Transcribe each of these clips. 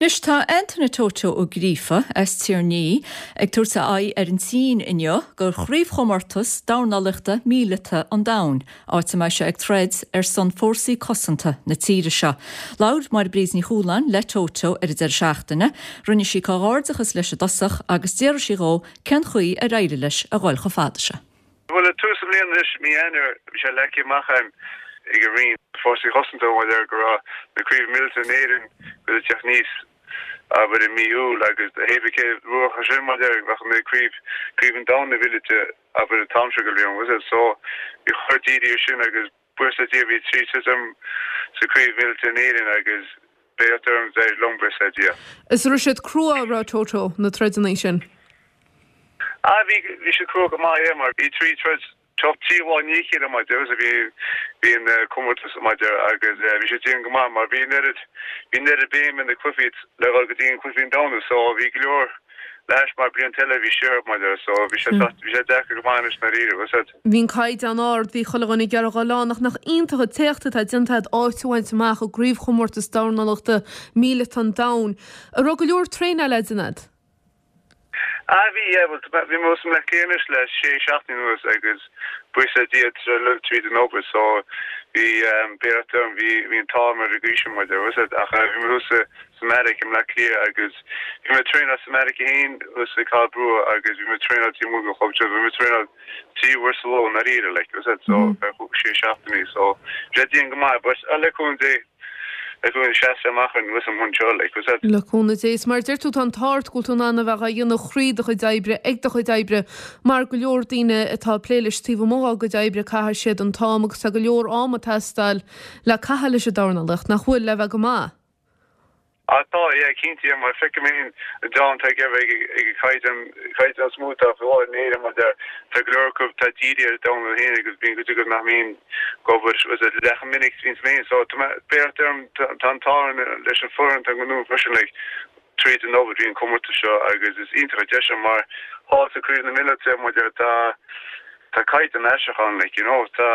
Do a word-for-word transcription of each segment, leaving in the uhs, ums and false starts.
Anois tá Anthony Toto Ó Gríofa as Tír Ní ag tabhairt a aghaidh ar an tSín inniu do chraobhchomórtas dornálaíochta míleata an domhain, áit a mbeidh sé ag troid ar son fórsaí cosanta na tíre seo. Labhair Máire Bríd Ní Chualáin le Toto ar an deireadh seachtaine, rinne sí comhghairdeachas leis i dtosach agus d'fhiafraigh sí dhó cén chaoi ar éirigh leis a dhul chomh fada seo. Bhuel tús na bliana anois mí Eanáir bhí sé leagtha amach agam ag an Roinn Fórsaí Cosanta maidir go raibh na craobh míleata in Éirinn go teacht níos abair i mí Iúil agus hébé ruacha sin maidir bheadh na craobh craobh an domhain na míleata abair an t-am seo go bliain was it so bhí chur dírí sin agus buíochas le Dia bhí trí troid sa craobh míleata in Éirinn agus beidh orm d'éirigh liom buíochas le Dia. Is raibh siad crua ra Toto na troideanna sin. Ah bhí bhí sé crua go maith é mar bhí trí troid trí lá ní chéile mar a bhí bhí an comórtas maidir agus bhí sé dian go maith mar bhí nead bhí nead béim in na cluichí le go dtí an cluichí domhanda so bhí go leor leis mar bliain eile bhí sé maidir so bhí sé bhí sé deacair go maith na rí was Bhí an caighdeán ard bhí chuile dhuine ag iarraidh dhul ann ach nach iontach an t-éacht atá déanta áit a bhaint amach i gcraobhchomórtas dornálaíochta míleata an domhain. An raibh go leor traenáil le déanamh. Ah bhí bhí mé le céis le sé seachtain anuas agus buíochas le Dia le tríd an obair so bhí béart bhí bhí an t-am ar go sin maidir was ach bhí mé thuas sa Mheiriceá i mBleá Cliath agus bhí mé traenáil sa Mheiriceá féin thuas i Cathal Brugha agus bhí mé traenáil tí mu chob bhí mé traenáil trí uair sa ló na ríre like was it so sé seachtainí so sé dian go maith but le cúnamh Dé le cúnamh seas amach an was an seo like was it Le cúnamh Dé mar deir tú an tart go tú an bheith dhéanamh chrí do chuid oibre ag do chuid oibre mar go leor daoine atá plé leis taobh amuigh dá gcuid oibre caithfidh siad an t-am agus tá go leor am ag teastáil le caitheamh leis an dornálaíocht nach bhfuil le bheith go maith. Ah tá é cinnte mar feicim an dá ag ag caighdeán caighdeán smúta néire mar tá go leor acu tá dírithe ar dornáil féin agus bíonn go go nach mín gobar was it le minic bhín mé so beart tá an t-ádh leis an foireann tá go freisin like tríd an obair bhí an comórtas seo agus is iontach deis mar há sa craobh na míleata mar tá tá caighdeán aisteach like you know tá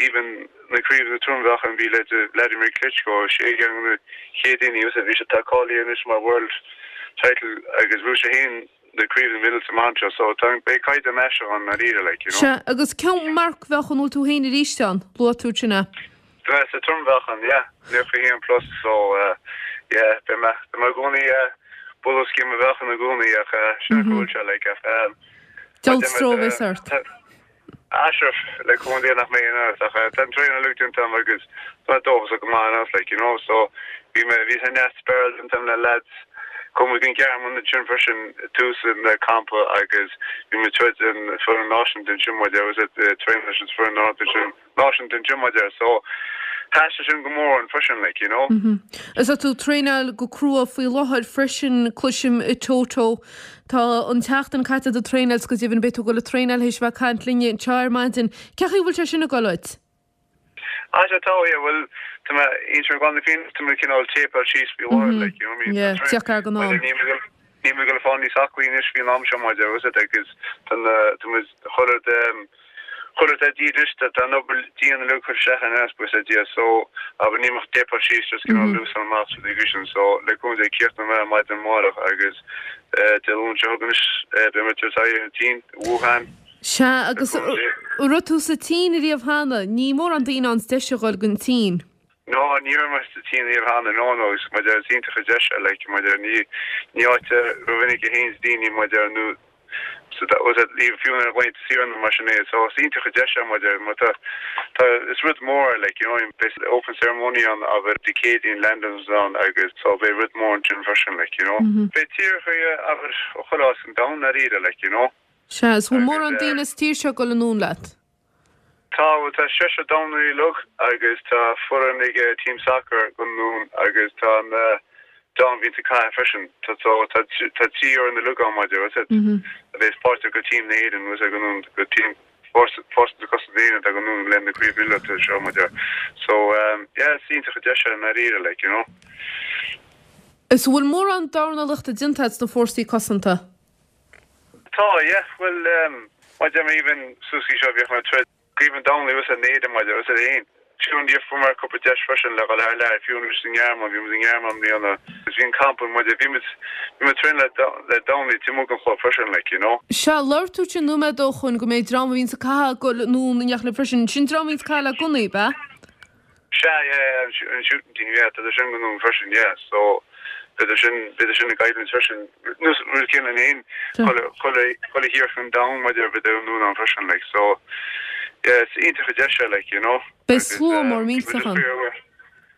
even na craobh na trom-mheáchan bhí le Vladimir Klitschko sé na chéad daoine us bhí sé tá cáilithe anois mar world title agus bhí sé féin na craobh na míleata man so tá beidh caighdeán aisteach an na like you know Se agus cén marc-mheáchan bhfuil tú féin arís ann luaigh tú sin é. Tá sa trom-mheáchan yeah nócha haon plus so uh, yeah be me me gcónaí bulos cé mheáchan na gcónaí ach sin bhfuil sé like um, Dul ort. Ashraf le cúnamh nach mé ach tá traenáil déanta agus tá dóchas go maith like you know so bhí mé bhí an neas spéir an le lads kom an Gearman sin freisin tús na campa agus bhí mé troid an foireann náisiúnta sin mar was it train leis an foireann náisiúnta sin náisiúnta sin mar so Tá sin go mór an freisin like you know. Mm -hmm. Is tú traenáil go crua faoi láthair freisin cloisim i Toto Tá an tseachtain caite do traenáil go deimhin beidh tú go le traenáil théis bheith caint linne anseo ar maidin. Cén chaoi bhfuil sé sin ag dul? Ah tá yeah well tá mé inter gan fin tá mé cineál tape síos bí like you know I mean Yeah, ar go ná. Ní mé go fáí aclaí is bhí am seo mar was it agus tá chuir chuir a díris tá an obair dian le chur se an es a dia so aber ní tape síos just cineál lús an amach sin so le cúnamh Dé cíocht mé maidin amárach agus de Luan seo chugainn beidh mé Tsín Wuhan. Se agus raibh tú sa tSín riamh cheana, ní mór an daoine an deis a fháil don tSín. No ní mar sa tSín riamh cheana no no mar iontach deis like mar ní ní áit rinne go héin daoine mar nó so that was at leave fiú ar bhaint siar mar sin é so is iontach deis mar mar tá tá is rud mór like you know open ceremony an abair Dé Céadaoin landings an agus so beidh rud mór sin freisin like you know mm -hmm. Beidh tír abair cholás an down na ríre like you know Se is bhfuil mór an daoine tír seo go anún leat. Tá tá sé dornálaí lug agus tá foireann ag team soccer go nún agus tá an dan bhí ca freisin tá tá trí ar na lugá maidir a bheith páirteach go team na hÉireann was go nún go team force cos daine a go nún le na craobh míleata seo maidir so um, yeah iontach deis na ríre like you know Is bhfuil mór an dornálaíochta déanta sna fórsaí cosanta. Tá yeah well um, maidir even suí seo bhíoh troid Craobh an domhain was a néide maidir was a aon Fiú an fuair mé cúpla deis freisin le dhul thar lear, fiú anois sa nGearmáin, bhí muid i nGearmáin i mbliana agus bhí an campa muid, bhí muid, bhí muid traenáil le le dornálaí taobh amuigh den chlub freisin like, you know. Sea, labhair tú ansin nóiméad ó shoin go mbeidh dream a bhíonns ag caitheamh ag goil anonn in éineacht libh freisin, sin dream a bhíonns ag caitheamh le gunnaí, ab ea? Sea, yeah, yeah, an shooting team, yeah, tá sin go anonn freisin, yeah, so beidh sin, beidh sin ag coimhlint freisin, nó rud céanna linn féin, chuile, chuile, chuile thír an domhain maidir beidh anonn ann freisin, like, so yeah, is iontach an deis é, like, you know. Beidh slua mór millteach ann.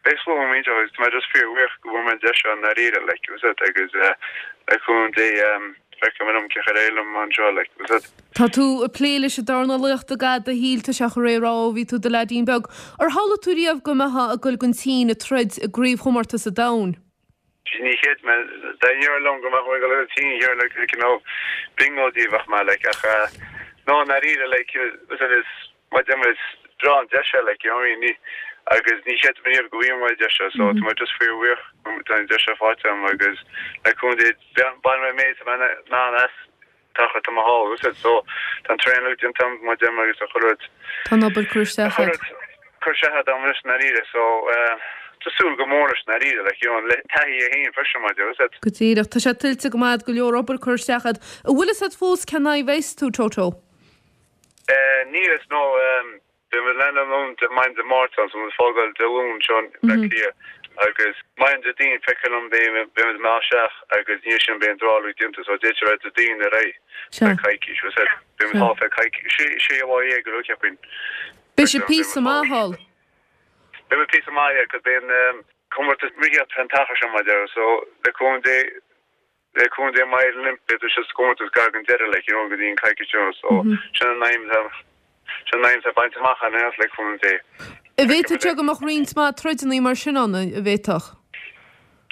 Beidh slua mór millteach agus tá mé just fíorbhuíoch go bhfuair mé an deis seo i ndáiríre, like, was it, agus le cúnamh Dé feicfidh mé liom cén chaoi ar éirigh liom anseo, like, was it. Tá tú ag plé leis an dornálaíocht i gcaitheamh do shaoil, tá sé chomh réidh rá ó bhí tú i do leaidín beag. Ar shamhlaigh tú riamh go mbeifeá ag goil don tSín ag troid i gcraobhchomórtas an domhain? Ní cheid mé, dá ndéarfá liom go mbeadh mé ag dul go dtí an Tsín, like, you know, bingo díobh bheadh mé, like, ach no, i ndáiríre, like, was it, is, mar a deir mé, is breá an deis é, like, you know what I mean, ní, agus ní cheid mé riamh go bhfaighidh mé an deis seo, so tá mé just fíorbhuíoch go tá an deis seo faighte agam agus le cúnamh Dé, bainfidh mé an méid atá mé in ann as. Tá tá mé thall, is so tá an traenáil déanta agam mar a deir mé agus a chuile rud. Tá an obair curtha isteach agat. Curtha isteach agam anois i ndáiríre so tá súil go mór leis i ndáiríre like you know le taithí é féin freisin mar deir is Go díreach. Tá sé tuillte go maith agat go leor obair curtha isteach agat. An bhfuil fhios agat fós cén aghaidh a bheas tú, Toto? Níl fhios no. Beidh muid ag landáil ann maidin Dé Máirt ann, so muid ag fágáil Dé Luain anseo i mBleá Cliath agus maidin Déardaoin feictear liom beidh beidh muid ag imeacht isteach agus ina dhiaidh sin beidh an draw déanta so d'fhéadfadh sé bheith Déardaoin ar aghaidh feadh coicís, was it? Beidh muid thall feadh coicís, sé sé lá dhéag go leor cheapfainn. Beidh sibh píosa maith thall. Beidh muid píosa maith, yeah, 'cause beidh an comórtas reathaíochta fén t-achar seo mar a deir so le cúnamh Dé Le cúnamh Dé má éiríonn linn, beidh sé sa gcomórtas gar don deireadh, like, you know, go dtí an coicís seo, so sin an aidhm atá, sin an aidhm atá bainte amach againn anois, le cúnamh Dé. An bhféadfadh sé go mbeadh roinnt mhaith troideanna mar sin ann, an bhféadfadh?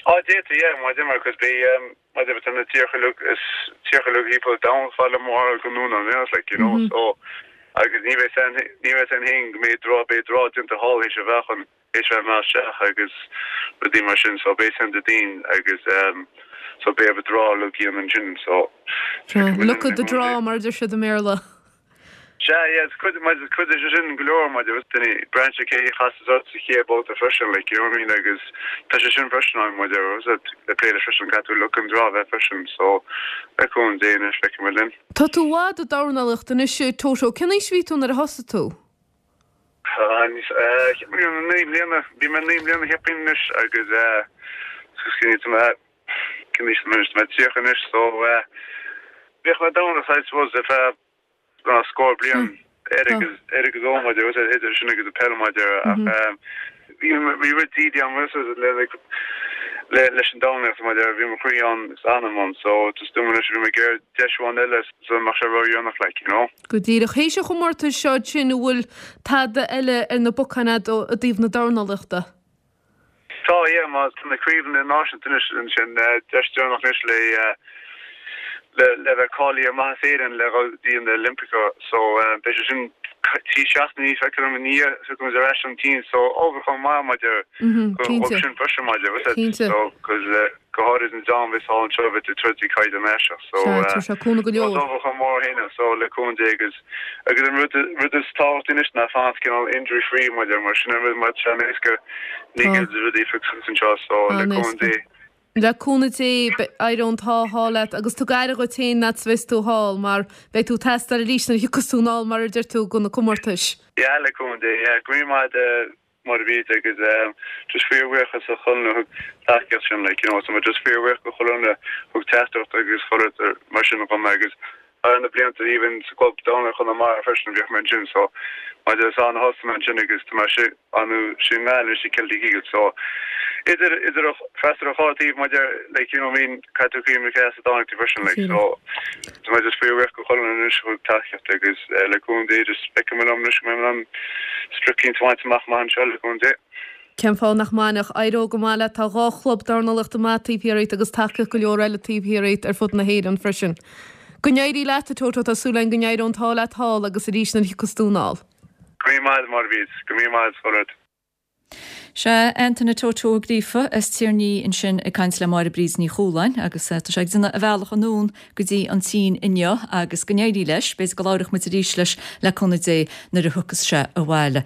Á, d'fhéadfadh, yeah, mar a deir mé, 'cause beidh, mar a deir mé, tá na tíortha uilig, is tíortha uilig thimpeall an domhain fad le mór go ndún an like, you know, so, agus ní bheidh san, ní bheidh san féin go mbeidh draw, beidh draw déanta thall théis a bheith chun. théis bheith ag imeacht isteach agus rudaí mar sin so beidh san Déardaoin agus so beidh an draw uilig déanta ansin so Look at the draw mar a deir siad i mBéarla. Sea, yeah, is cuid, mar is cuid de sin go leor mar deir duine, braitheann sé cé a chasas ort sa chéad babhta freisin like you know what I mean agus tá sé sin freisin ann mar deir le plé leis freisin caithfidh tú luck an draw a bheith freisin so le cúnamh Dé anois feicfidh muid linn. Tá tú i bhfad ag dornálaíocht anois Toto, cén aois a bhí tú nuair a thosaigh tú? Cheap mé naoi mbliana, bhí mé naoi mbliana cheapfainn anois agus tá mé, cén aois atá mé anois, tá mé tríocha anois so bhíodh mé ag dornáil I suppose ar feadh scór bliain ar agus ar agus ó mar a deir idir sin agus an peil mar a deir ach bhí bhí rud dídi agam le le leis an dornálaíocht mar a deir bhí mo chroí ann is anam ann so just dúinn anois bhí mé ag iarraidh deis amháin eile sula mbeadh sé ródhéanach like you know. Go díreach. Théis an chomórtais seo ansin an bhfuil tada eile ar na bacáin agat i dtaobh na dornálaíochta? Tá, yeah, mar tá na craobhanna náisiúnta anois ansin, deis deireanach anois le le le bheith cáilithe ar Maitheas Éireann le dhul go dtí na Olympics so beidh sé sin trí seachtainí feictear liom i ndiaidh so go ar ais ón tSín so ullmhúchán maith maidir go sin freisin maidir so cos go háirid an dream a bheas thall anseo a bheith ag troid ag caighdeán Áiseach so Sea, tá sé cúnamh go leor. Tá ullmhúchán mór féin so le cúnamh Dé agus agus an rud rud is tábhachtaí anois ná fanacht cineál injury free mar a deir mar sin an rud mar tá sé an-éasca ní Tá. go rudaí a phiocadh suas anseo so le cúnamh An-éasca. Dé. Le cúnamh Dé éireoidh an t-ádh thall leat agus tug aire dhuit féin fhad is a bheas tú thall mar beidh tú ag teastáil arís nuair a thiocfas tú anall mar a deir tú go na comórtais. Yeah le cúnamh Dé yeah go raibh míle maith agat Máire Bríd agus just fíorbhuíochas do chuile dhuine a thug tacaíocht sin like you know so just fíorbhuíoch do chuile dhuine a thug teachtaireacht agus chuile rud mar sin dhom agus thar na blianta even sa gclub dornálaíochta Chonamara freisin bhíodh mé ansin so maidir is ann a thosaigh mé ansin agus tá mé si anú sin nGaillimh anois i Celtic Eagles so idir idir freastal ar dhá taobh maidir like you know what I mean caithfidh tú cuimhneamh cé as a dtáinig tú freisin like so Tá mé just fíorbhuíoch do chuile dhuine anois a thug tacaíocht agus le cúnamh Dé just feicfidh mé liom anois go mbeidh mé in ann sprioc eicínt a bhaint amach maith anseo le cúnamh Dé. Cén fáth nach mbainfeadh? Éireoidh go maith leat. Tá dhá chlub dornálaíochta maith taobh thiar dhíot agus tacaíocht go leor eile taobh thiar dhíot ar fud na hÉireann freisin. Go n-éirí leat, a Toto, tá súil againn go n-éireoidh an t-ádh leat thall agus arís nuair a thiocfas tú anall. Go raibh míle maith agat, Máire Bríd. Go raibh míle maith agat, chuile rud. Sea, Antaine Toto Ó Gríofa as Tír an Fhia ansin ag caint le Máire Bríd Ní Chualáin agus tá sé ag déanamh a bhealach anonn go dtí an tSín inniu agus go n-éirí leis, b'fhéidir go labhróidh muid arís leis le cúnamh Dé nuair a thiocfas sé abhaile.